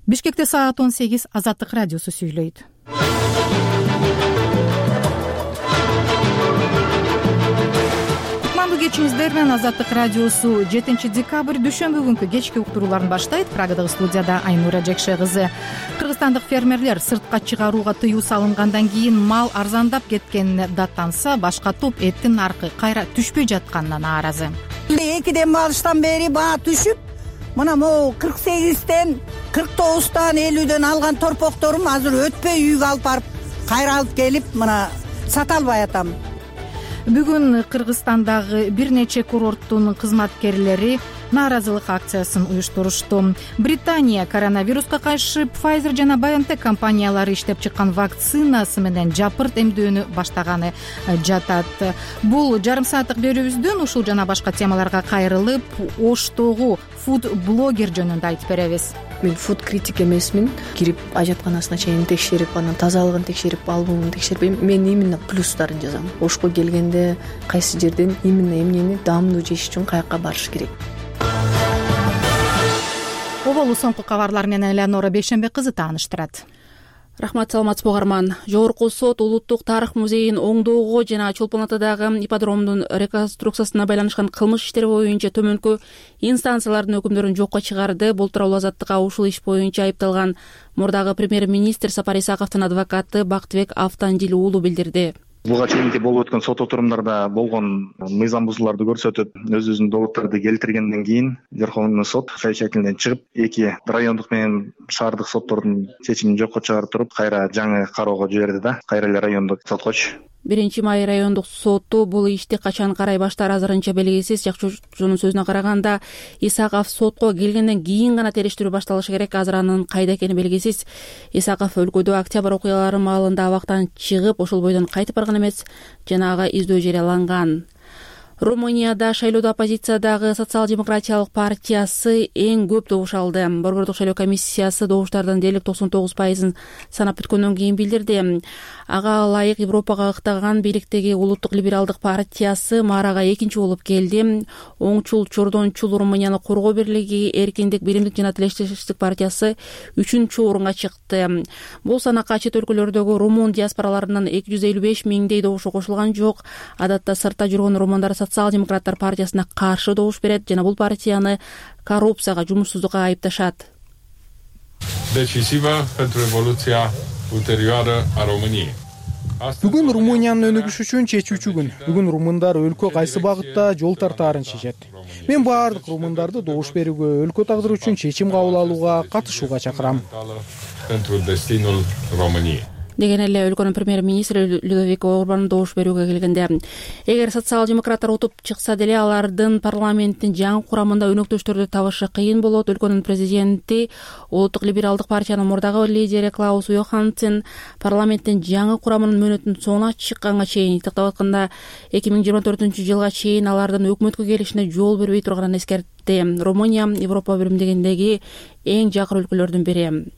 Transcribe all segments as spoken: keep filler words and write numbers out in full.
Бишкекте саат он сегиз. Азаттык радиосу сүйлөйт. Кутмандуу кечиңиздер менен Азаттык радиосу жетинчи декабрь дүйшөмбү күнкү кечки уктурууларын баштайт. Прагадагы студияда Айнура Жекше кызы. Кыргызстандык фермерлер сыртка чыгарууга тыюу салынгандан кийин мал арзандап кеткенине даттанса, башка топ эттин наркы кайра түшпөй жатканына нааразы. Экиден багыштан бери баа түшүп, мына могу кырк сегизден кырк тогуздан элүүдөн алган торпокторум азыр өтпөй үйгө алып барып кайра алып келип мына сата албай атам. Бүгүн Кыргызстандагы бир нече курорттун кызматкерлери нааразылык акциясын уюштурушту. Британия коронавируска каршы Pfizer жана BioNTech компаниялары иштеп чыккан вакцинасы менен жапырт эмдөөнү баштаганы жатат. Бул жарым сааттык берүүбүздөн ушул жана башка темаларга кайрылып, Оштогу фуд-блогер жөнүндө айтып беребиз. Мен фуд критик эмесмин. Кирип ажатканасына чейин текшерип, анан тазалыгын текшерип, албумун текшерип, мен именно плюстарын жазам. Ошко келгенде кайсы жерден именно эмнени даамдуу жеш үчүн каяка барыш керек. Оболу соңку кабарлар менен Элеонора Бейшембек кызы тааныштырат. Рахмат, саламатсызбы угарман. Жогорку сот Улуттук тарых музейин оңдоого жана Чолпон атадагы ипподромдун реконструкциясына байланышкан кылмыш иштери боюнча төмөнкү инстанциялардын өкүмдөрүн жокко чыгарды. Бул тууралуу Азаттыкка ушул иш боюнча айыпталган мурдагы премьер-министр Сапар Исаковдун адвокаты Бактыбек Автандил уулу билдирди. Буга чейинки болуп өткөн сот отурумдарда болгон мыйзам бузууларды көрсөтүп, өзүбүздүн доводдорду келтиргенден кийин Верховный сот кай шекилден чыгып, эки райондук менен шаардык соттордун чечимин жокко чыгарып туруп, кайра жаңы кароого жиберди да, кайра эле райондук соткочу. биринчи май райондук соту бул ишти качан карай баштаары азырынча белгисиз. Жакчуучунун сөзүнө караганда, Исаков сотко келгенден кийин гана териштирүү башталышы керек. Азыр анын кайда экени белгисиз. Исаков өлкөдө октябрь окуялары маалында абактан чыгып, ошол бойдон кайтып барган эмес жана ага издөө жарыяланган. Румынияда шайлоодо оппозициядагы Социал-демократиялык партиясы эң көп добуш алды. Борбордук шайлоо комиссиясы добуштардын дээрлик токсон тогуз пайызын санап бүткөндөн кийин билдирди. Ага ылайык Европага ыктаган бийликтеги Улуттук либералдык партиясы Марага экинчи болуп келди. Оңчул Чордончул Румынияны коргоо бирлиги Эркиндик, биримдик жана Тилештештик партиясы үчүнчү орунга чыкты. Бул санакка чет өлкөлөрдөгү румун диаспораларынын эки жүз элүү беш миңдей добушу кошулган жок. Адатта сыртта жүргөн румундар Социал-демократтар партиясына каршы добуш берет жана бул партияны коррупцияга, жумушсуздукка айыпташат. Decisiva pentru evoluția ulterioară a României. Бүгүн Румыниянын өнүгүшү үчүн чечүүчү күн. Бүгүн румындар өлкө кайсы багытта жол тартаарын чечет. Мен баардык румындарды добуш берүүгө, өлкө тагдыры үчүн чечим кабыл алууга, катышууга чакырам. Pentru destinul României. Деген эле өлкөнүн премьер-министри Людовик Орбан добуш берүүгө келгенде, эгер социал-демократтар утуп чыкса деле алардын парламенттин жаңы курамында өнөктөштөрдү табышы кыйын болот. Өлкөнүн президенти, Улуттук либералдык партиянын мурдагы лидери Клаус Йоханссон парламенттин жаңы курамынын мөөнөтүнүн соңуна чыкканга чейин тактап атканда эки миң жыйырма төртүнчү жылга чейин алардын өкмөткө келишине жол бербей турганын эскертти. Румыния Европа биримдигиндеги эң жакыр өлкөлөрдүн бири.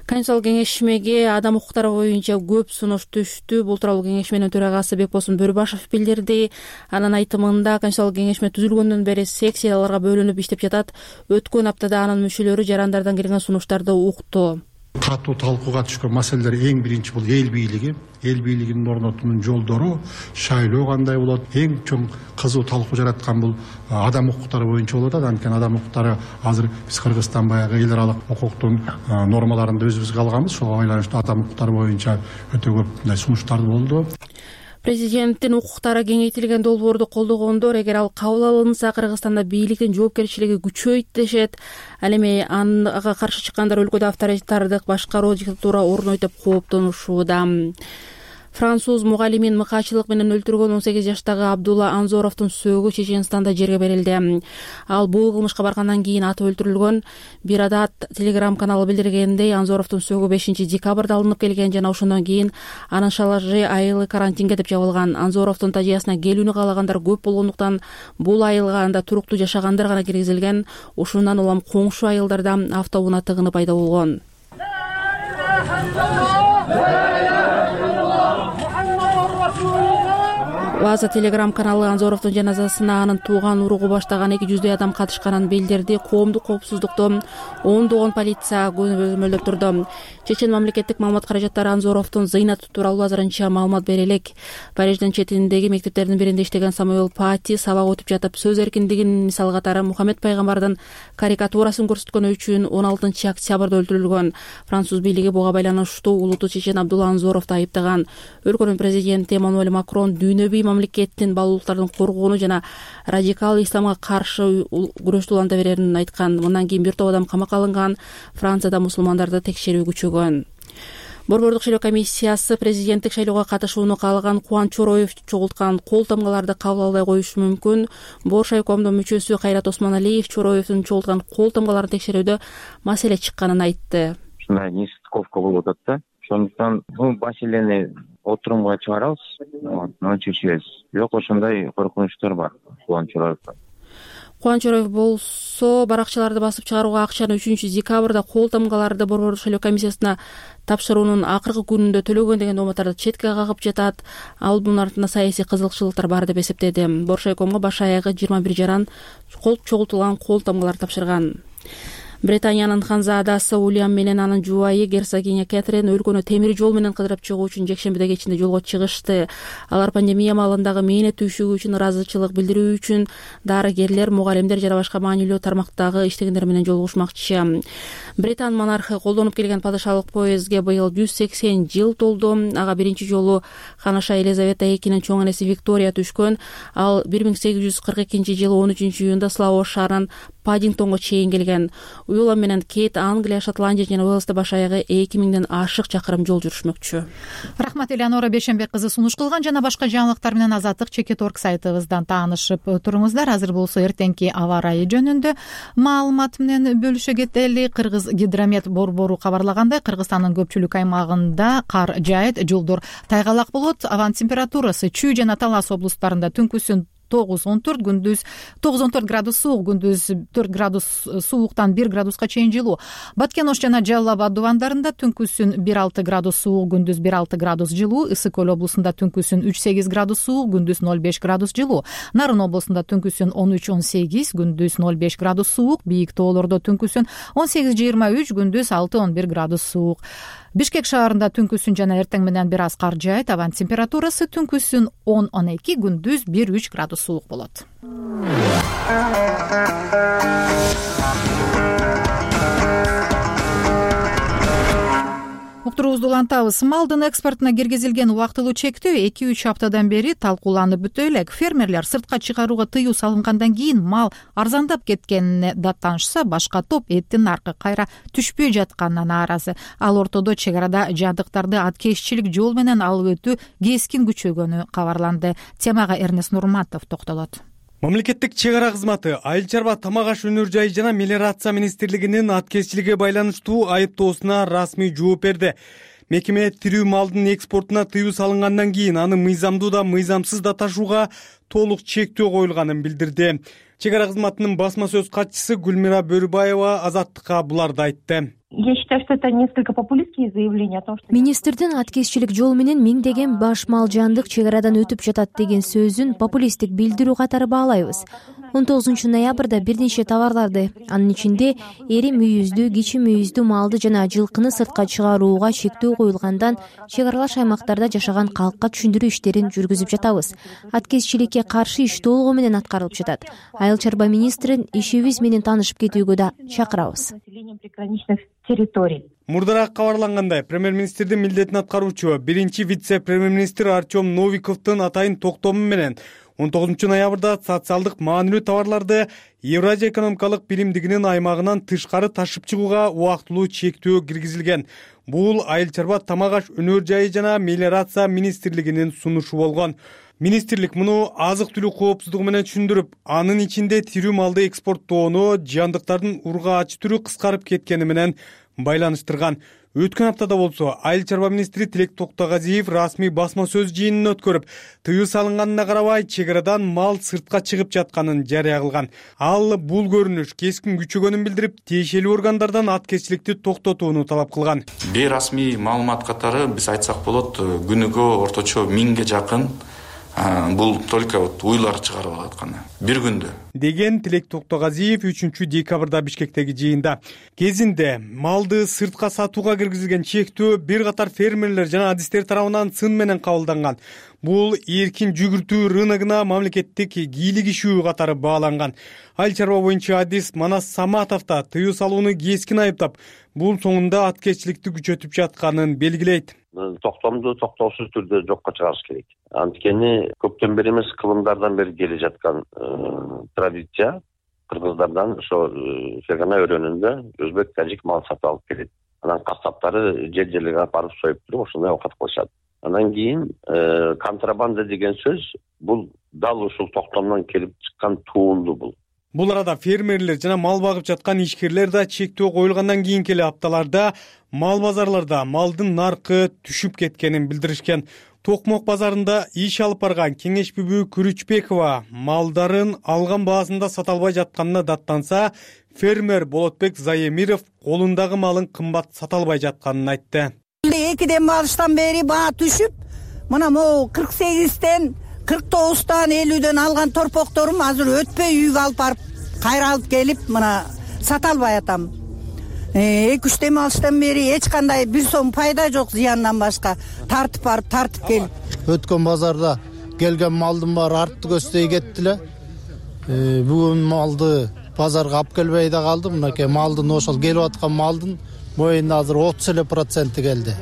Конституциялык кеңешмеге адам укуктары боюнча көп сунуш түштү. Бул тууралуу кеңешменин төрагасы Бекбосун Бөрбашев билдирди. Анын айтымында, Конституциялык кеңешме түзүлгөндөн бери секцияларга бөлүнүп иштеп жатат. Өткөн аптада анын мүчөлөрү жарандардан келген сунуштарды укту. Катуу талкууга түшкөн маселелер эң биринчи бул эл бийлиги. Эл бийлигинин орнотуунун жолдору, шайлоо кандай болот, эң чоң кызуу талкуу жараткан бул адам укуктары боюнча болот. Анткени адам укуктары азыр биз Кыргызстан баягы эл аралык укуктун нормаларында өзүбүзгө алганбыз. Ошого байланыштуу адам укуктары боюнча өтө көп мындай сунуштар болду. Президенттин укуктары кеңейтилген долбоорду колдогондор, эгер ал кабыл алынса, Кыргызстанда бийликтин жоопкерчилиги күчөйт дешет. Ал эми ага каршы чыккандар өлкөдө авторитардык башкаруу диктатура орнойт деп кооптонушууда. Француз мугалимин мыкаачылык менен өлтүргөн он сегиз жаштагы Абдулла Анзоровдун сөөгү Чеченстанда жерге берилди. Ал бул кылмышка баргандан кийин атып өлтүрүлгөн. Бир адат телеграм каналы билдиргендей, Анзоровдун сөөгү бешинчи декабрда алынып келген жана ошондон кийин анын шалажы айылы карантинге деп жабылган. Анзоровдун тажыясына келүүнү каалагандар көп болгондуктан бул айылга анда туруктуу жашагандар гана киргизилген. Ушундан улам коңшу айылдарда автоунаа тыгыны пайда болгон. Ваза телеграм каналы Анзоровдун жаназасына анын тууган уругу баштаган эки жүздөй адам катышканын билдирди. Коомдук коопсуздукту ондогон полиция көзөмөлдөп турду. Чечен мамлекеттик маалымат каражаттары Анзоровдун зыйнаты тууралуу азырынча маалымат бере элек. Париждин четиндеги мектептердин биринде иштеген Самуэл Пати сабак өтүп жатып сөз эркиндигинин мисал катары Мухаммед пайгамбардын карикатурасын көрсөткөнү үчүн он алтынчы октябрда өлтүрүлгөн. Француз бийлиги буга байланыштуу улуттуу чечен Абдулла Анзоровду айыптаган. Өлкөнүн президенти Эммануэль Макрон дүйнөбүй мамлекеттин баалуулуктарын коргоону жана радикал исламга каршы күрөштү уланта берерин айткан. Мындан кийин бир топ адам камакка алынган. Францияда мусулмандарды текшерүү күчөгөн. Борбордук шайлоо комиссиясы президенттик шайлоого катышууну каалаган Кубан Чороев чогулткан кол тамгаларды кабыл албай коюшу мүмкүн. Боршайкомдун мүчөсү Кайрат Осмоналиев Чороевдун чогулткан кол тамгаларын текшерүүдө маселе чыкканын айтты. Ушундай нестыковка болуп атат да. Ошондуктан бул маселени отурумга чыгарабыз, муну чечебиз. Бирок ошондой коркунучтар бар Кубан Чороевдон. Кубан Чороев болсо баракчаларды басып чыгарууга акчаны үчүнчү декабрда кол тамгаларды Борбордук шайлоо комиссиясына тапшыруунун акыркы күнүндө төлөгөн деген дооматтарды четке кагып жатат. Ал бунун артында саясий кызыкчылыктар бар деп эсептеди. Боршайкомго баш аягы жыйырма бир жаран кол чогултулган кол тамгалар тапшырган. Британиянын ханзаадасы Уильям менен анын жубайы герцогиня Кэтрин өлкөнү темир жол менен кыдырып чыгуу үчүн жекшембиде кечинде жолго чыгышты. Алар пандемия маалындагы мээнет түйшүгү үчүн ыраазычылык билдирүү үчүн дарыгерлер, мугалимдер жана башка маанилүү тармактагы иштегендер менен жолугушмакчы. Британ монархы колдонуп келген падышалык поездге быйыл жүз сексен жыл толду. Ага биринчи жолу ханаша Елизавета экинин чоң энеси Виктория түшкөн. Ал бир миң сегиз жүз кырк экинчи жылы он үчүнчү июнда Слоу шаарынан Паддингтонго чейин келген. Уилам менен Кейт Англия, Шотландия жана Уэльсте баш аягы эки миңден ашык чакырым жол жүрүшмөкчү. Рахмат Элеонора Бейшенбек кызы сунуш кылган. Жана башка жаңылыктар менен Азаттык чекит орг сайтыбыздан таанышып туруңуздар. Азыр болсо эртеңки аба ырайы жөнүндө маалымат менен бөлүшө кетели. Кыргыз гидромет борбору кабарлагандай, Кыргызстандын көпчүлүк аймагында кар жаайт, жолдор тайгалак болот. Абанын температурасы Чүй жана Талас облустарында түнкүсүн тогуз он төрт, күндүз тогуз он төрт градус суук, күндүз төрт градус сууктан бир градуска чейин жылуу. Баткен Ош жана Жалал Абад дубандарында түнкүсүн бир алты градус суук, күндүз бир алты градус жылуу. Ысык Көл облусунда түнкүсүн үч сегиз градус суук, күндүз ноль беш градус жылуу. Нарын облусунда түнкүсүн он үч он сегиз, күндүз ноль беш градус суук. Бийик тоолордо түнкүсүн он сегиз жыйырма үч, күндүз алты он бир градус суук. Бишкек шаарында түнкүсүн жана эртең менен бир аз кар жаайт. Абанын температурасы түнкүсүн он он эки, күндүз бир үч градус суук болот. Уктуруубузду улантабыз. Малдын экспортуна киргизилген убактылуу чектөө эки үч аптадан бери талкууланып бүтө элек. Фермерлер сыртка чыгарууга тыюу салынгандан кийин мал арзандап кеткенине даттанышса, башка топ эттин наркы кайра түшпөй жатканына нааразы. Ал ортодо чек арада жабдыктарды аткезчилик жол менен алып өтүү кескин күчөгөнү кабарланды. Темага Эрнест Нурматов токтолот. Мамлекеттик чек ара кызматы Айыл чарба тамак аш өнөр жайы жана мелиорация министрлигинин аткезчиликке байланыштуу айыптоосуна расмий жооп берди. Мекеме тирүү малдын экспортуна тыюу салынгандан кийин аны мыйзамдуу да мыйзамсыз да ташууга толук чектөө коюлганын билдирди. Чек ара кызматынын басма сөз катчысы Гүлмира Бөрүбаева Азаттыкка буларды айтты. Я считаю, что это несколько популистские заявления о том, что министрдин аткезчилик жол менен миңдеген баш мал жандык чек арадан өтүп жатат деген сөзүн популисттик билдирүү катары баалайбыз. он тогузунчу ноябрда бир нече товарларды, анын ичинде эри мүйүздүү, кичи мүйүздүү малды жана жылкыны сыртка чыгарууга чектөө коюлгандан чек аралаш аймактарда жашаган калкка түшүндүрүү иштерин жүргүзүп жатабыз. Аткезчиликке каршы иш толугу менен аткарылып жатат. Айыл чарба министрин ишибиз менен таанышып кетүүгө да чакырабыз. Мурдараак кабарлангандай, премьер-министрдин милдетин аткаруучу биринчи вице-премьер-министр Артем Новиковдун атайын токтому менен он тогузунчу ноябрда социалдык маанилүү товарларды Евразия экономикалык биримдигинин аймагынан тышкары ташып чыгууга убактылуу чектөө киргизилген. Бул Айыл чарба тамак аш өнөр жайы жана мелиорация министрлигинин сунушу болгон. Министрлик муну азык-түлүк коопсуздугу менен түшүндүрүп, анын ичинде тирүү малды экспорттоону жандыктардын ургаачы түрү кыскарып кеткени менен байланыштырган. Өткөн аптада болсо Айыл чарба министри Тилек Токтогазиев расмий басма сөз жыйынын өткөрүп, тыюу салынганына карабай чек арадан мал сыртка чыгып жатканын жарыя кылган. Ал бул көрүнүш кескин күчөгөнүн билдирип, тиешелүү органдардан аткезчиликти токтотууну талап кылган. Бейрасмий маалымат катары биз айтсак болот, күнүгө орточо миңге жакын бул только вот уйлар чыгарып алат гана бир күндө, деген Тилек Токтогазиев үчүнчү декабрда Бишкектеги жыйында. Кезинде малды сыртка сатууга киргизилген чектөө бир катар фермерлер жана адистер тарабынан сын менен кабылданган. Бул эркин жүгүртүү рыногуна мамлекеттик кийлигишүү катары бааланган. Айыл чарба боюнча адис Манас Саматов да тыюу салууну кескин айыптап, бул соңунда аткечиликти күчөтүп жатканын белгилейт. Токтомду токтоосуз түрдө жокко чыгарыш керек. Анткени көптөн бери эмес, кылымдардан бери келе жаткан традиция кыргыздардан ошо фергана өрөөнүндө өзбек, тажик мал сатып алып келет. Анан касаптары жер жерлерге алып барып союп туруп ошондой оокат кылышат. Анан кийин контрабанда деген сөз бул дал ушул токтомдон келип чыккан туунду бул. Бул арада фермерлер жана мал багып жаткан ишкерлер да чектөө коюлгандан кийинки эле апталарда мал базарларда малдын наркы түшүп кеткенин билдиришкен. Токмок базарында иш алып барган Кеңеш Бүбү Күрүчбекова малдарын алган баасында сата албай жатканына даттанса, фермер Болотбек Заемиров колундагы малын кымбат сата албай жатканын айтты. Экиден багыштан бери баа түшүп, мына могу кырк сегизден кырк тогуздан элүүдөн алган торпокторум азыр өтпөй үйгө алып барып кайра алып келип мына сата албай атам. эки үч дем алыштан бери эч кандай бир сом пайда жок, зыяндан башка. Тартып барып тартып келип. Өткөн базарда келген малдын баары артты көздөй кетти эле. Бүгүн малды базарга алып келбей да калды. Мынакей малдын ошол келип аткан малдын моюнда азыр отуз эле проценти келди.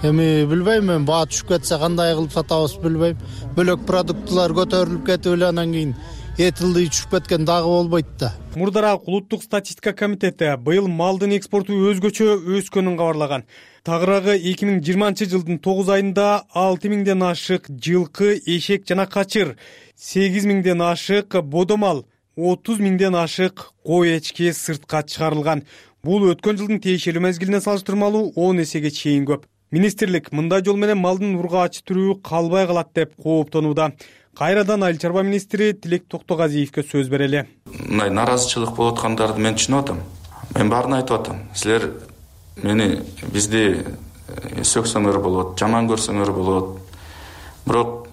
Эми билбейм, мен баа түшүп кетсе кандай кылып сатабыз билбейм. Бөлөк продуктылар көтөрүлүп кетип эле анан кийин этилди түшүп кеткен дагы болбойт да. Мурдараак улуттук статистика комитети быйыл малдын экспорту өзгөчө өскөнүн кабарлаган. Тагыраагы эки миң жыйырманчы жылдын тогуз айында алты миңден ашык жылкы, эшек жана качыр, сегиз миңден ашык бодомал, отуз миңден ашык кой эчки сыртка чыгарылган. Бул өткөн жылдын тиешелүү мезгилине салыштырмалуу он эсеге чейин көп. Министрлик мындай жол менен малдын ургаачы түрү калбай калат деп кооптонууда. Кайрадан айыл чарба министри Тилек Токтогазиевке сөз берели. Мындай наразычылык болуп аткандарды мен түшүнүп атам. Мен баарын айтып атам. Силер мени бизди сөксөңөр болот, жаман көрсөңөр болот. Бирок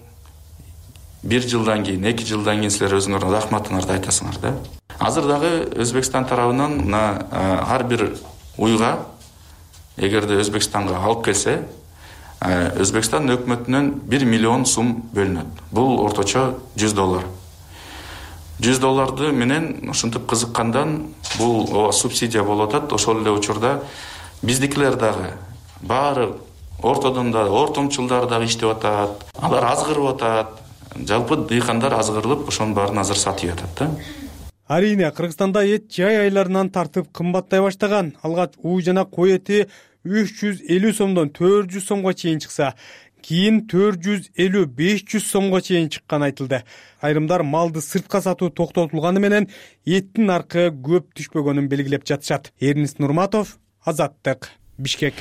бир жылдан кийин, эки жылдан кийин силер өзүңөрдүн рахматыңарды айтасыңар да. Азыр дагы Өзбекстан тарабынан мына ар бир уйга эгерде Өзбекстанга алып келсе, Өзбекстан өкмөтүнөн бир миллион сум бөлүнөт. Бул орточо жүз доллар. жүз долларды менен ушинтип кызыккандан бул субсидия болуп атат. Ошол эле учурда биздикилер дагы баары ортодон да ортомчулдар дагы иштеп атат. Алар азгырып атат. Жалпы дыйкандар азгырылып, ошонун баарын азыр сатып атат да. Арийне, Кыргызстанда эт жай айларынан тартып кымбаттай баштаган. Алгач үй жана кой эти үч жүз элүү сомдон төрт жүз сомго чейин чыкса, кийин төрт жүз элүү беш жүз сомго чейин чыкканы айтылды. Айрымдар малды сыртка сатуу токтотулганы менен эттин наркы көп түшпөгөнүн белгилеп жатышат. Эрнис Нурматов, Азаттык, Бишкек.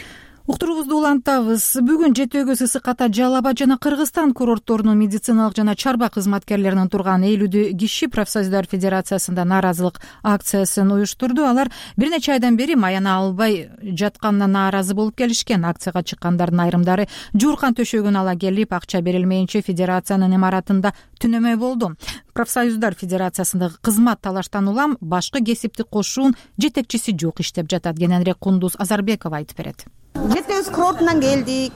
Уктуруубузду улантабыз. Бүгүн Жети Өгүз, Ысык Ата, Жалал Абад жана Кыргызстан курортторунун медициналык жана чарба кызматкерлеринин турган элүү киши профсоюздар федерациясында нааразылык акциясын уюштурду. Алар бир нече айдан бери маяна албай жатканына нааразы болуп келишкен. Акцияга чыккандардын айрымдары жууркан төшөгүн ала келип, акча берилмейинче федерациянын имаратында түнөмөй болду. Профсоюздар федерациясындагы кызмат талаштан улам башкы кесиптик кошуун жетекчиси жок иштеп жатат. Кененирээк Кундуз Азарбекова айтып берет. Жети Өгүз курортунан келдик.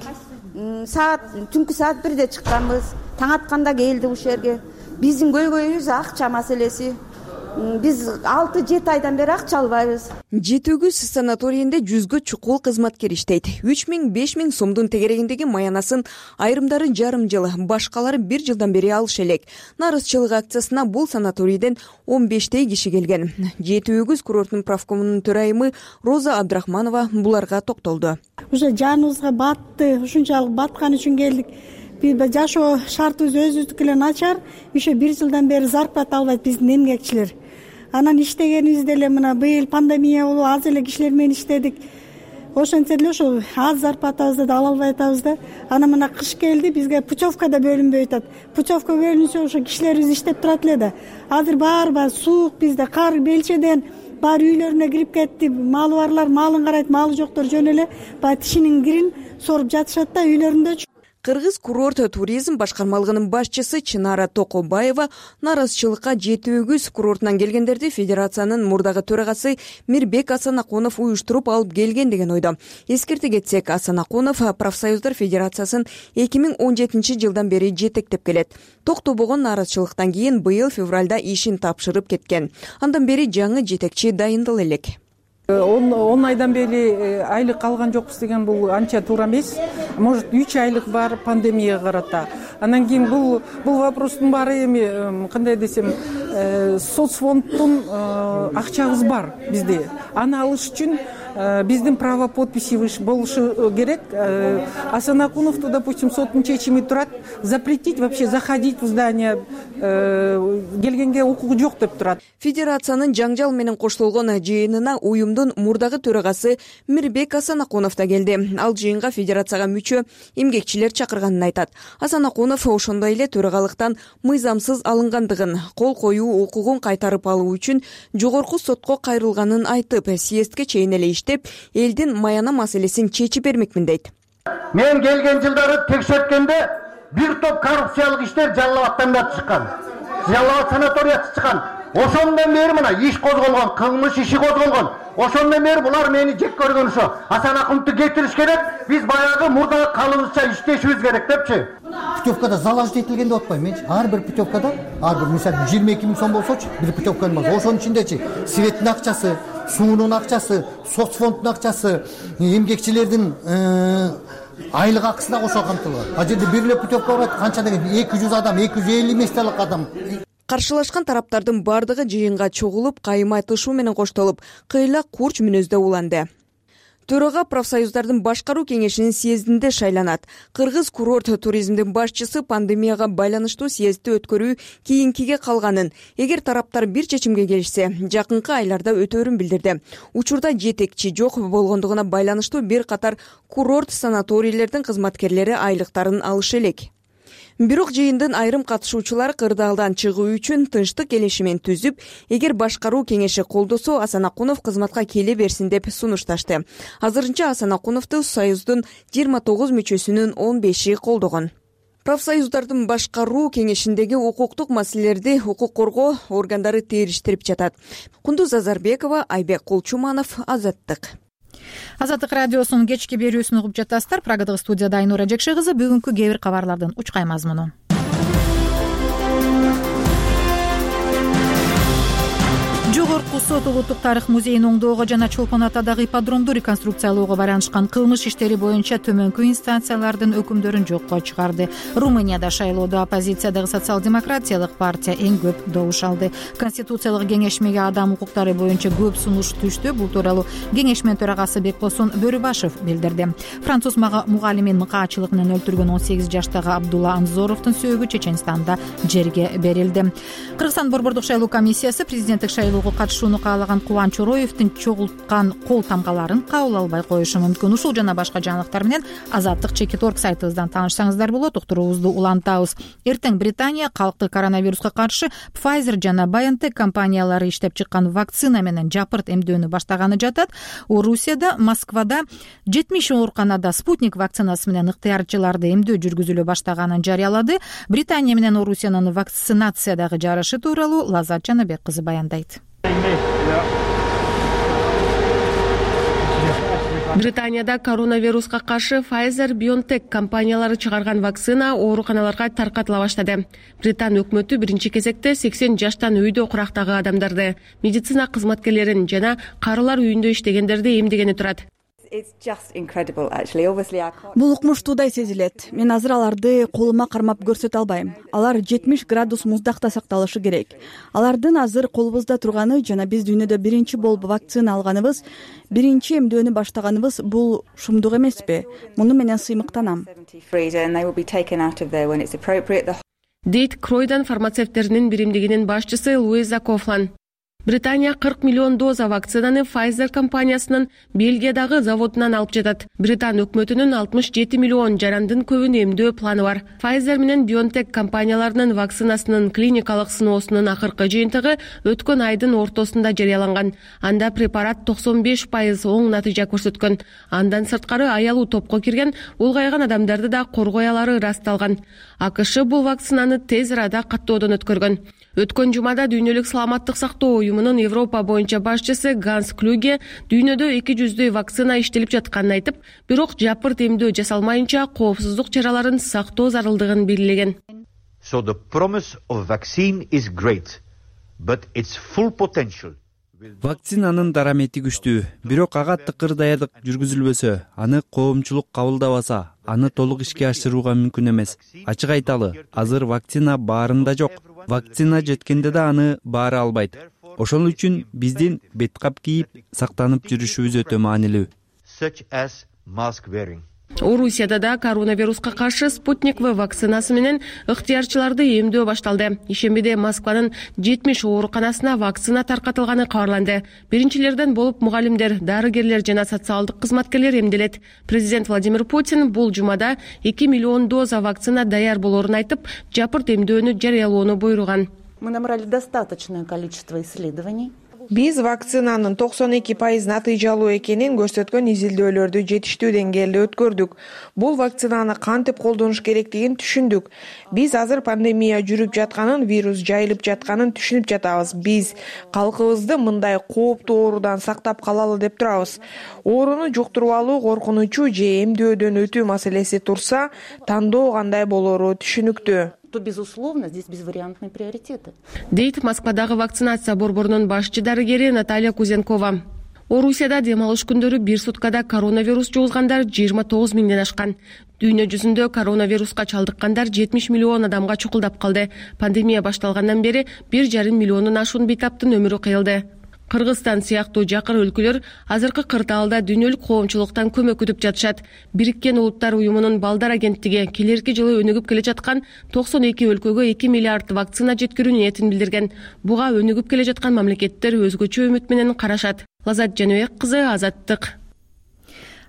Саат түнкү саат бирде чыкканбыз. Таң атканда келдик ушул жерге. Биздин көйгөйүбүз акча маселеси. Биз алты жети айдан бери акча албайбыз. Жети Өгүз санаторийинде жүзгө чукул кызматкер иштейт. үч миң беш миң сомдун тегерегиндеги маянасын айрымдары жарым жыл, башкалары бир жылдан бери алыш элек. Нааразычылык акциясына бул санаторийден он бештей киши келген. Жети Өгүз курортунун правкомунун төрайымы Роза Абдрахманова буларга токтолду. Уже жаныбызга батты, ушунчалык баткан үчүн келдик. Жашоо шартыбыз өзүбүздүкү эле начар. Ошо бир жылдан бери зарплата албайт биздин эмгекчилер. Анан иштегенибизде эле мына быйыл пандемия болуп аз эле кишилер менен иштедик. Ошентсе деле ошо аз зарплатабызды да ала албай атабыз да. Анан мына кыш келди, бизге путевка да бөлүнбөй атат. Путевка бөлүнсө ошо кишилерибиз иштеп турат эле да. Азыр баары баары суук, бизде кар белчеден баары үйлөрүнө кирип кетти. Малы барлар малын карайт, малы жоктор жөн эле баягы тишинин кирин соруп жатышат да үйлөрүндө. Кыргыз курорт туризм башкармалыгынын башчысы Чынара Токобаева нааразычылыкка жети өгүз курортунан келгендерди федерациянын мурдагы төрагасы Мирбек Асанакунов уюштуруп алып келген деген ойдо. Эскерте кетсек, Асанакунов профсоюздар федерациясын эки миң он жетинчи жылдан бери жетектеп келет. Токтобогон нааразычылыктан кийин быйыл февралда ишин тапшырып кеткен. Андан бери жаңы жетекчи дайындала элек. он айдан бери айлык алган жокпуз деген бул анча туура эмес. Может үч айлык бар пандемияга карата. Анан кийин бул бул вопростун баары эми кандай десем, соцфонддун акчабыз бар бизде. Аны алыш үчүн биздин право подписи болушу керек. Асанакуновду, допустим, соттун чечими турат, запретить вообще заходить в здание келгенге укугу жок деп турат. Федерациянын жаңжал менен коштолгон жыйынына уюмдун мурдагы төрагасы Мирбек Асанакунов да келди. Ал жыйынга федерацияга мүчө эмгекчилер чакырганын айтат. Асанакунов ошондой эле төрагалыктан мыйзамсыз алынгандыгын, кол коюу укугун кайтарып алуу үчүн жогорку сотко кайрылганын айтып, съездге чейин эле иштеп, элдин маяна маселесин чечип бермекмин дейт. Мен келген жылдары текшерткенде бир топ коррупциялык иштер Жалал Абадтан чыккан. Жалал Абад санаториясы чыккан. Ошондон бери мына иш козголгон, кылмыш иши козголгон. Ошондон бери булар мени жек көргөн ошо. Асанакуновду кетириш керек, биз баягы мурдагы калыбызча иштешибиз керек депчи. Путевкада залажить этилген деп атпайм менчи. Ар бир путевкада, ар бир мисалы жыйырма эки миң сом болсочу, бир путевканын баасы. Ошонун ичиндечи светтин акчасы, суунун акчасы, соцфонддун акчасы, эмгекчилердин айлык акысы да кошо камтылган. А жерде бир эле путевка бар, канча деген эки жүз адам, эки жүз элүү миңдей адам. Каршылашкан тараптардын бардыгы жыйынга чогулуп, кайым айтышуу менен коштолуп, кыйла курч мүнөздө уланды. Төрага профсоюздардын башкаруу кеңешинин съездинде шайланат. Кыргыз курорт туризмдин башчысы пандемияга байланыштуу съездди өткөрүү кийинкиге калганын, эгер тараптар бир чечимге келишсе, жакынкы айларда өтөрүн билдирди. Учурда жетекчи жок болгондугуна байланыштуу бир катар курорт санаторийлердин кызматкерлери айлыктарын алышы элек. Бирок жыйындын айрым катышуучулары кырдаалдан чыгуу үчүн тынчтык келишимин түзүп, эгер башкаруу кеңеши колдосо, Асанакунов кызматка келе берсин деп сунушташты. Азырынча Асанакуновду союздун жыйырма тогуз мүчөсүнүн он беши колдогон. Профсоюздардын башкаруу кеңешиндеги укуктук маселелерди укук коргоо органдары териштирип жатат. Кундуз Азарбекова, Айбек Кулчуманов, Азаттык. Азаттык радиосунун кечки берүүсүн угуп жатасыздар. Прагадагы студияда Айнура Жекше кызы. Бүгүнкү кээ бир кабарлардын учкай мазмуну. Жогорку сот улуттук тарых музейин оңдоого жана Чолпон Атадагы ипподромду реконструкциялоого байланышкан кылмыш иштери боюнча төмөнкү инстанциялардын өкүмдөрүн жокко чыгарды. Румынияда шайлоодо оппозициядагы социал-демократиялык партия эң көп добуш алды. Конституциялык кеңешмеге адам укуктары боюнча көп сунуш түштү. Бул тууралуу кеңешме төрагасы Бекбосон Бөрүбашев билдирди. Француз мугалимин мыкаачылык менен өлтүргөн он сегиз жаштагы Абдулла Анзоровдун сөөгү Чеченстанда жерге берилди. Кыргызстан борбордук шайлоо комиссиясы президенттик шайлоого катышууну каалаган Кубан Чороевдин чогулткан кол тамгаларын кабыл албай коюшу мүмкүн. Ушул жана башка жаңылыктар менен Азаттык чекит орг сайтыбыздан таанышсаңыздар болот. Уктуруубузду улантабыз. Эртең Британия калкты коронавируска каршы Pfizer жана BioNTech компаниялары иштеп чыккан вакцина менен жапырт эмдөөнү баштаганы жатат. Орусияда, Москвада жетимиш ооруканада Спутник вакцинасы менен ыктыярчыларды эмдөө жүргүзүлө баштаганын жарыялады. Британия менен Орусиянын вакцинациядагы жарышы тууралуу Лаззат Жанабек кызы баяндайт. Британияда коронавируска каршы Pfizer, BioNTech компаниялары чыгарган вакцина ооруканаларга таркатыла баштады. Британ өкмөтү биринчи кезекте сексен жаштан үйдө курактагы адамдарды, медицина кызматкерлерин жана карылар үйүндө иштегендерди эмдегени турат. Бул укмуштуудай сезилет. Мен азыр аларды колума кармап көрсөтө албайм. Алар жетимиш градус муздакта сакталышы керек. Алардын азыр колубузда турганы жана биз дүйнөдө биринчи болуп вакцина алганыбыз, биринчи эмдөөнү баштаганыбыз бул шумдук эмеспи? Муну менен сыймыктанам. Дейт Кройдан фармацевттеринин биримдигинин башчысы Луиза Кофлан. Британия кырк миллион доза вакцинаны Pfizer компаниясынын Бельгиядагы заводунан алып жатат. Британ өкмөтүнүн алтымыш жети миллион жарандын көбүн эмдөө планы бар. Pfizer менен BioNTech компанияларынын вакцинасынын клиникалык сыноосунун акыркы жыйынтыгы өткөн айдын ортосунда жарыяланган. Анда препарат токсон беш пайыз оң натыйжа көрсөткөн. Андан сырткары аялуу топко кирген улгайган адамдарды да коргой алары ырасталган. АКШ бул вакцинаны тез арада каттоодон өткөргөн. Өткөн жумада Дүйнөлүк саламаттык сактоо уюмунун Европа боюнча башчысы Ганс Клюге дүйнөдө эки жүздөй вакцина иштелип жатканын айтып, бирок жапырт эмдөө жасалмайынча коопсуздук чараларын сактоо зарылдыгын белгилеген. So the promise of vaccine is great, but its full potential. Вакцинанын дарамети күчтүү, бирок ага тыкыр даярдык жүргүзүлбөсө, аны коомчулук кабылдабаса, аны толук ишке ашырууга мүмкүн эмес. Ачык айталы, азыр вакцина баарында жок. Вакцина жеткенде да аны баары албайт. Ошол үчүн биздин беткап кийип, сактанып жүрүшүбүз өтө маанилүү. Such as mask wearing. Орусияда да коронавируска каршы Спутник В вакцинасы менен ыктыярчыларды эмдөө башталды. Ишембиде Москванын жетимиш ооруканасына вакцина таркатылганы кабарланды. Биринчилерден болуп мугалимдер, дарыгерлер жана социалдык кызматкерлер эмделет. Президент Владимир Путин бул жумада эки миллион доза вакцина даяр болоорун айтып, жапырт эмдөөнү жарыялоону буйруган. Мы набрали достаточное количество исследований. Биз вакцинанын токсон эки пайыз натыйжалуу экенин көрсөткөн изилдөөлөрдү жетиштүү деңгээлде өткөрдүк. Бул вакцинаны кантип колдонуш керектигин түшүндүк. Биз азыр пандемия жүрүп жатканын, вирус жайылып жатканын түшүнүп жатабыз. Биз калкыбызды мындай кооптуу оорудан сактап калалы деп турабыз. Ооруну жуктуруп алуу коркунучу же эмдөөдөн өтүү маселеси турса, тандоо кандай болоору түшүнүктүү. То, безусловно, здесь безвариантные приоритеты. Дейт Москвадагы вакцинация борборунун башчы дарыгери Наталья Кузенкова. Орусияда дем алыш күндөрү бир суткада коронавирус жугузгандар жыйырма тогуз миңден ашкан. Дүйнө жүзүндө коронавируска чалдыккандар жетимиш миллион адамга чукулдап калды. Пандемия башталгандан бери бир жарым миллиондон ашуун бейтаптын өмүрү кыйылды. Кыргызстан сыяктуу жакыр өлкөлөр азыркы кырдаалда дүйнөлүк коомчулуктан көмөк күтүп жатышат. Бириккен Улуттар уюмунун балдар агенттиги келерки жылы өнүгүп келе жаткан токсон эки өлкөгө эки миллиард вакцина жеткирүү ниетин билдирген. Буга өнүгүп келе жаткан мамлекеттер өзгөчө үмүт менен карашат. Лазат Жаныбек кызы, Азаттык.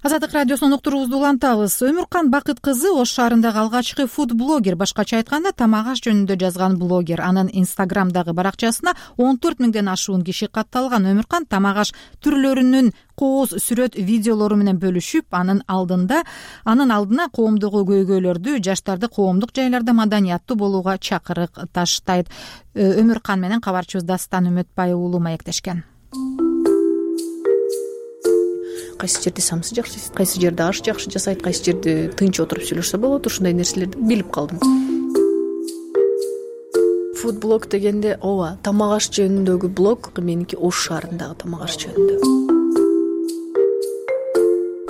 Азаттык радиосунун уктуруубузду улантабыз. Өмүркан Бакыт кызы Ош шаарындагы алгачкы фуд-блогер, башкача айтканда тамак аш жөнүндө жазган блогер. Анын Инстаграмдагы баракчасына он төрт миңден ашуун киши катталган. Өмүркан тамак аш түрлөрүнүн кооз сүрөт видеолору менен бөлүшүп, анын алдында анын алдына коомдогу көйгөйлөрдү, жаштарды коомдук жайларда маданияттуу болууга чакырык таштайт. Өмүркан менен кабарчыбыз Дастан Үмөтбай уулу маектешкен. Кайсы жерде самсы жакшы жасайт, кайсы жерде аш жакшы жасайт, кайсы жерде тынч отуруп сүйлөшсө болот, ушундай нерселерди билип калдым. Фуд-блог дегенде, ооба, тамак аш жөнүндөгү блог, меники Ош шаарындагы тамак аш жөнүндө.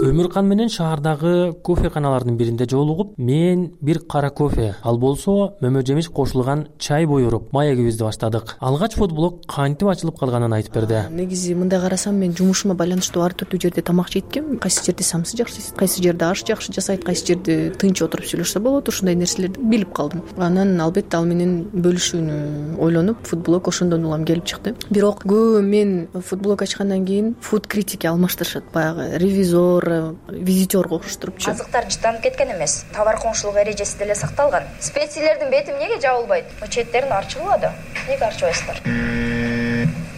Өмүркан менен шаардагы кофеканалардын биринде жолугуп, мен бир кара кофе, ал болсо мөмө жемиш кошулган чай буйруп, маегибизди баштадык. Алгач фуд-блог кантип ачылып калганын айтып берди. Негизи мындай карасам, мен жумушума байланыштуу ар түрдүү жерде тамак жейткем. Кайсы жерде самсы жакшы жасайт, кайсы жерде аш жакшы жасайт, кайсы жерде тынч отуруп сүйлөшсө болот, ушундай нерселерди билип калдым. Анан албетте ал менен бөлүшүүнү ойлонуп, фуд-блог ошондон улам келип чыкты. Бирок көбү мен фуд-блог ачкандан кийин фуд критики алмаштырышат, баягы ревизор, визитерго окшоштурупчу. Азыктар жытанып кеткен эмес, товар коңшулук эрежеси деле сакталган. Специялердин бети эмнеге жабылбайт? Четтерин арчылбады. Эмнеге арчыбайсыздар?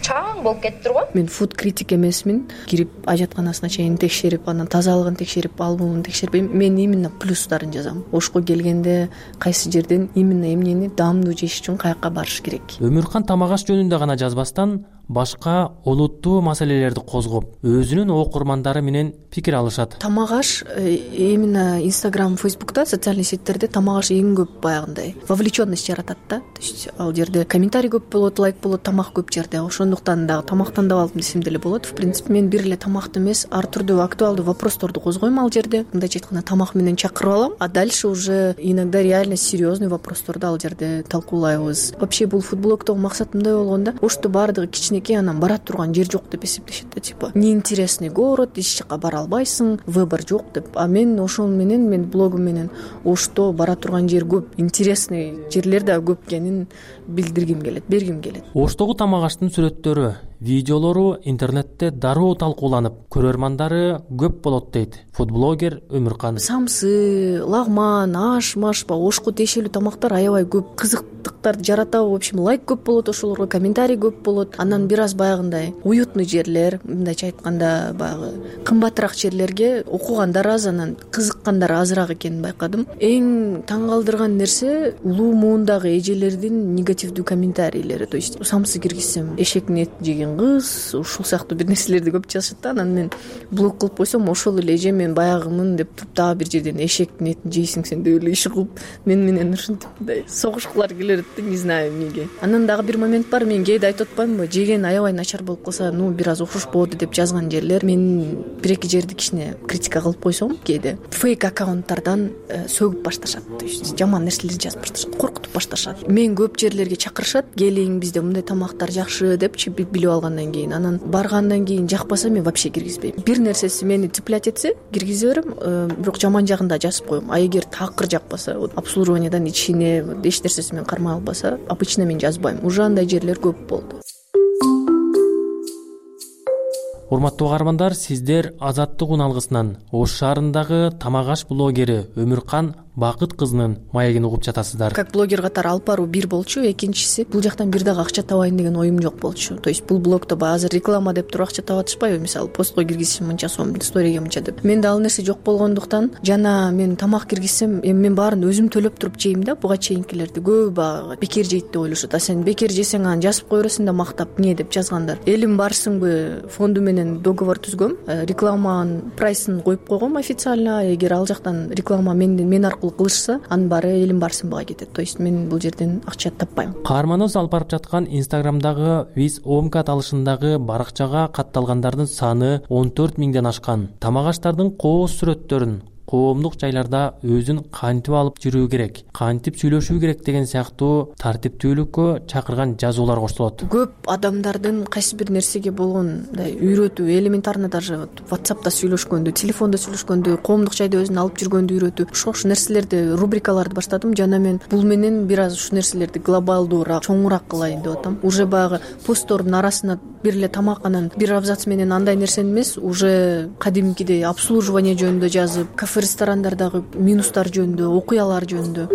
Чаң болуп кетип турган. Мен фуд критик эмесмин. Кирип ажатканасына чейин текшерип, анан тазалыгын текшерип, албумун текшербейм. Мен именно плюстарын жазам. Ошко келгенде кайсы жерден именно эмнени даамдуу жеш үчүн каяка барыш керек. Өмүркан тамак аш жөнүндө гана жазбастан, башка олуттуу маселелерди козгоп, өзүнүн окурмандары менен пикир алышат. Тамак аш именно Instagram, Facebook'та, социальный сеттерде тамак аш эң көп баягындай вовлеченность жаратат да. То есть ал жерде комментарий көп болот, лайк болот, тамак көп жерде. Ошондуктан дагы тамактан да алдым десем деле болот. В принципе, мен бир эле тамакты эмес, ар түрдүү актуалдуу вопросторду козгойм ал жерде. Мындайча айтканда тамак менен чакырып алам, а дальше уже иногда реально серьезный вопросторду ал жерде талкуулайбыз. Вообще бул фуд-блогдогу максат мындай болгондо, ошто баардыгы кичине кичинекей, анан бара турган жер жок деп эсептешет да, типа неинтересный город, эч жака бара албайсың, выбор жок деп. А мен ошол менен, мен блогум менен Ошто бара турган жер көп, интересный жерлер да көп экенин билдиргим келет, бергим келет. Оштогу тамак аштын сүрөттөрү, видеолору интернетте дароо талкууланып, көрөрмандары көп болот дейт фудблогер Өмүркан. Самсы, лагман, аш, маш, Ошко тиешелүү тамактар аябай көп, кызыктыктарды жаратабы, в общем, лайк көп болот, ошолорго комментарий көп болот. Анан бир аз баягындай уютный жерлер, мындайча айтканда баягы кымбатыраак жерлерге окугандар аз, анан кызыккандар азыраак экенин байкадым. Эң таң калтырган нерсе улуу муундагы эжелердин негативдүү комментарийлери. То есть самсы киргизсем эшектин этин жеген кыз, ушул сыяктуу бир нерселерди көп жазышат да. Анан мен блог кылып койсом, ошол эле эже мен баягымын деп туруп дагы бир жерден эшектин этин жейсиң сен деп эле иш угуп мен менен ушинтип мындай согушкулар келет да, не знаю эмнеге. Анан дагы бир момент бар, мен кээде айтып атпаймынбы, жеген аябай начар болуп калса, ну бир аз окшошподу деп жазган жерлер. Мен бир эки жерди кичине критика кылып койсом, кээде фейк аккаунттардан сөгүп башташат, то есть жаман нерселерди жазып башташат, коркутуп башташат. Мен көп жерлерге чакырышат, келиң бизде мындай тамактар жакшы депчи билип алгандан кийин, анан баргандан кийин жакпаса мен вообще киргизбейм. Бир нерсеси мени цеплять этсе киргизе берем, бирок жаман жагын да жазып коем. А эгер такыр жакпаса, обслуживаниядан ичине эч нерсеси мен кармай албаса, обычно мен жазбайм. Уже андай жерлер көп болду. Урматтуу каармандар, сиздер Азаттык уналгысынан Ош шаарындагы тамак аш блогери Өмүркан Бакыт кызынын маегин угуп жатасыздар. Как блогер катары алып баруу бир болчу, экинчиси бул жактан бир дагы акча табайын деген оюм жок болчу. То есть бул блогдо баягы азыр реклама деп туруп акча таап атышпайбы, мисалы постко киргизсем мынча сом, сториге мынча деп. Менде ал нерсе жок болгондуктан, жана мен тамак киргизсем, эми мен баарын өзүм төлөп туруп жейм да, буга чейинкилерди көбү баягы бекер жейт деп ойлошот. А сен бекер жесең анан жазып кое бересиң да мактап, эмне деп жазгандар. Элим барсыңбы фонду менен договор түзгөм, рекламанын прайсын коюп койгом официально. Эгер ал жактан реклама мен мен аркылуу кылышса, анын баары элим барсынбыга кетет. То есть мен бул жерден акча таппайм. Каарманыбыз алып барып жаткан Инстаграмдагы Виз Омкат алышындагы баракчага катталгандардын саны он төрт миңден ашкан. Тамак аштардын кооз сүрөттөрүн коомдук жайларда өзүн кантип алып жүрүү керек, кантип сүйлөшүү керек деген сыяктуу тартиптүүлүккө чакырган жазуулар коштолот. Көп адамдардын кайсы бир нерсеге болгон мындай үйрөтүү, элементарно даже WhatsApp'та сүйлөшкөндү, телефондо сүйлөшкөндү, коомдук жайда өзүн алып жүргөндү үйрөтүү. Ошол нерселерди, рубрикаларды баштадым. Жана мен бул менен бир аз ушул нерселерди глобалдуураак, чоңураак кылайын деп атам. Уже баягы посттордун арасына бир эле тамак, анан бир абзац менен андай нерсени эмес, уже кадимкидей обслуживание жөнүндө жазып, кафе ресторандардагы минустар жөнүндө, окуялар жөнүндө.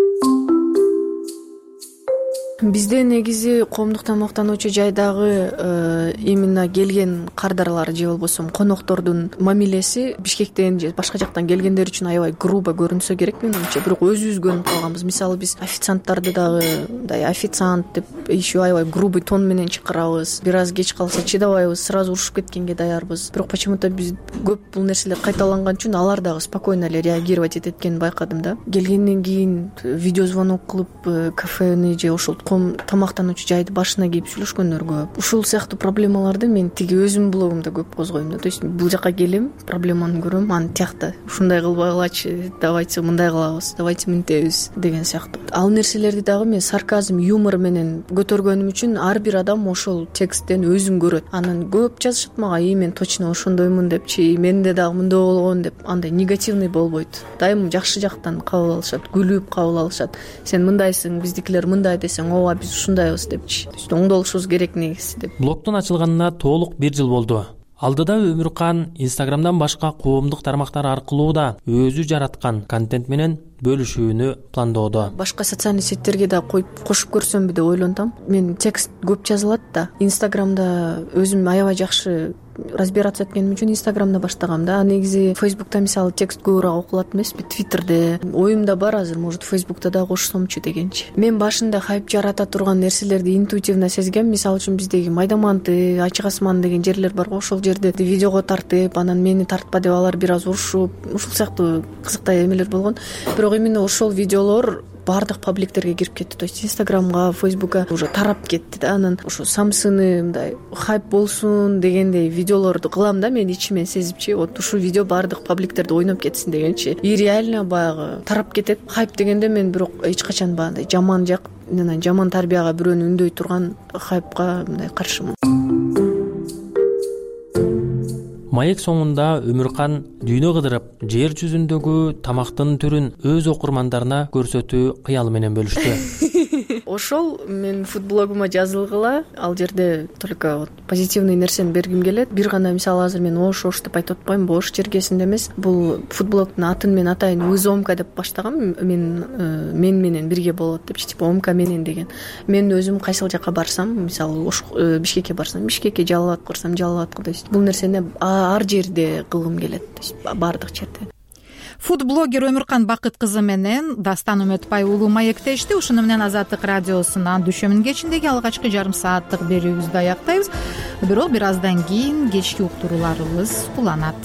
Бизде негизи коомдук тамактануучу жайдагы э, именно келген кардарлар же болбосо коноктордун мамилеси Бишкектен же башка жактан келгендер үчүн аябай грубо көрүнсө керек менимче. Бирок өзүбүз көнүп калганбыз. Мисалы биз официанттарды дагы мындай официант деп еще аябай грубый тон менен чакырабыз. Бир аз кеч калса чыдабайбыз, сразу урушуп кеткенге даярбыз. Бирок почему-то биз көп бул нерселер кайталанган үчүн алар дагы спокойно эле реагировать этет экенин байкадым да. Келгенден кийин видео звонок кылып кафени же ошол тамактануучу жайды башына кийип сүйлөшкөндөр көп. Ушул сыяктуу проблемаларды мен тиги өзүмдүн блогумда көп козгойм да. То есть бул жака келем, проблеманы көрөм, аны тиякта ушундай кылбагылачы, давайте мындай кылабыз, давайте мынтебиз деген сыяктуу. Ал нерселерди дагы мен сарказм, юмор менен көтөргөнүм үчүн ар бир адам ошол тексттен өзүн көрөт. Анан көп жазышат мага, и мен точно ошондоймун депчи, менде дагы мындай болгон деп, андай негативный болбойт. Дайым жакшы жактан кабыл алышат, күлүп кабыл алышат. Сен мындайсың, биздикилер мындай десең, ооба биз ушундайбыз депчи. Оңдолушубуз керек негизи деп. Блогдун ачылганына толук бир жыл болду. Алдыда Өмүркан Инстаграмдан башка коомдук тармактар аркылуу да өзү жараткан контент менен бөлүшүүнү пландоодо. Башка социальный сеттерге да коюп кошуп көрсөмбү деп ойлонтам. Мен текст көп жазылат да. Инстаграмда өзүм аябай жакшы разбираться эткеним үчүн Инстаграмда баштагам да. Негизи Фейсбукта мисалы текст көбүрөөк окулат эмеспи, Твиттерде. Оюмда бар азыр, может Фейсбукта да кошсомчу дегенчи. Мен башында хайп жарата турган нерселерди интуитивно сезгем. Мисалы үчүн биздеги Майдаманты, Ачык асман деген жерлер бар го, ошол жерде видеого тартып, анан мени тартпа деп алар бир аз урушуп, ушул сыяктуу кызыктай эмелер болгон. Бирок именно ошол видеолор баардык пабликтерге кирип кетти. То есть Инстаграмга, Фейсбукка уже тарап кетти да. Анан ошо самсыны мындай хайп болсун дегендей видеолорду кылам да мен ичимен сезипчи. Вот ушул видео баардык пабликтерде ойноп кетсин дегенчи. И реально баягы тарап кетет. Хайп дегенде мен бирок эч качан баягындай жаман жак, жаман тарбияга бирөөнү үндөй турган хайпка мындай каршымын. Маек соңунда Өмүркан дүйнө кыдырып, жер жүзүндөгү тамактын түрүн өз окурмандарына көрсөтүү кыялы менен бөлүштү. Ошол мен фудблогума жазылгыла, ал жерде только позитивный нерсени бергим келет. Бир гана мисалы азыр мен Ош Ош деп айтып атпайм, Ош жергесинде эмес. Бул фудблогдун атын мен атайын Узомка деп баштагам. Мен мен менен бирге болот депчи, типа Омка менен деген. Мен өзүм кайсыл жака барсам, мисалы Ош Бишкекке барсам, Бишкекке, Жалал Абадка барсам, Жалал Абадка, то есть бул нерсени ар жерде кылгым келет, то есть баардык жерде. Фуд-блогер Өмүркан Бакыт кызы менен Дастан Үмөтбай уулу маектешти. Ушуну менен Азаттык радиосунан дүшөмүн кечиндеги алгачкы жарым сааттык берүүбүздү аяктайбыз. Бирок бир аздан кийин кечки уктурууларыбыз уланат.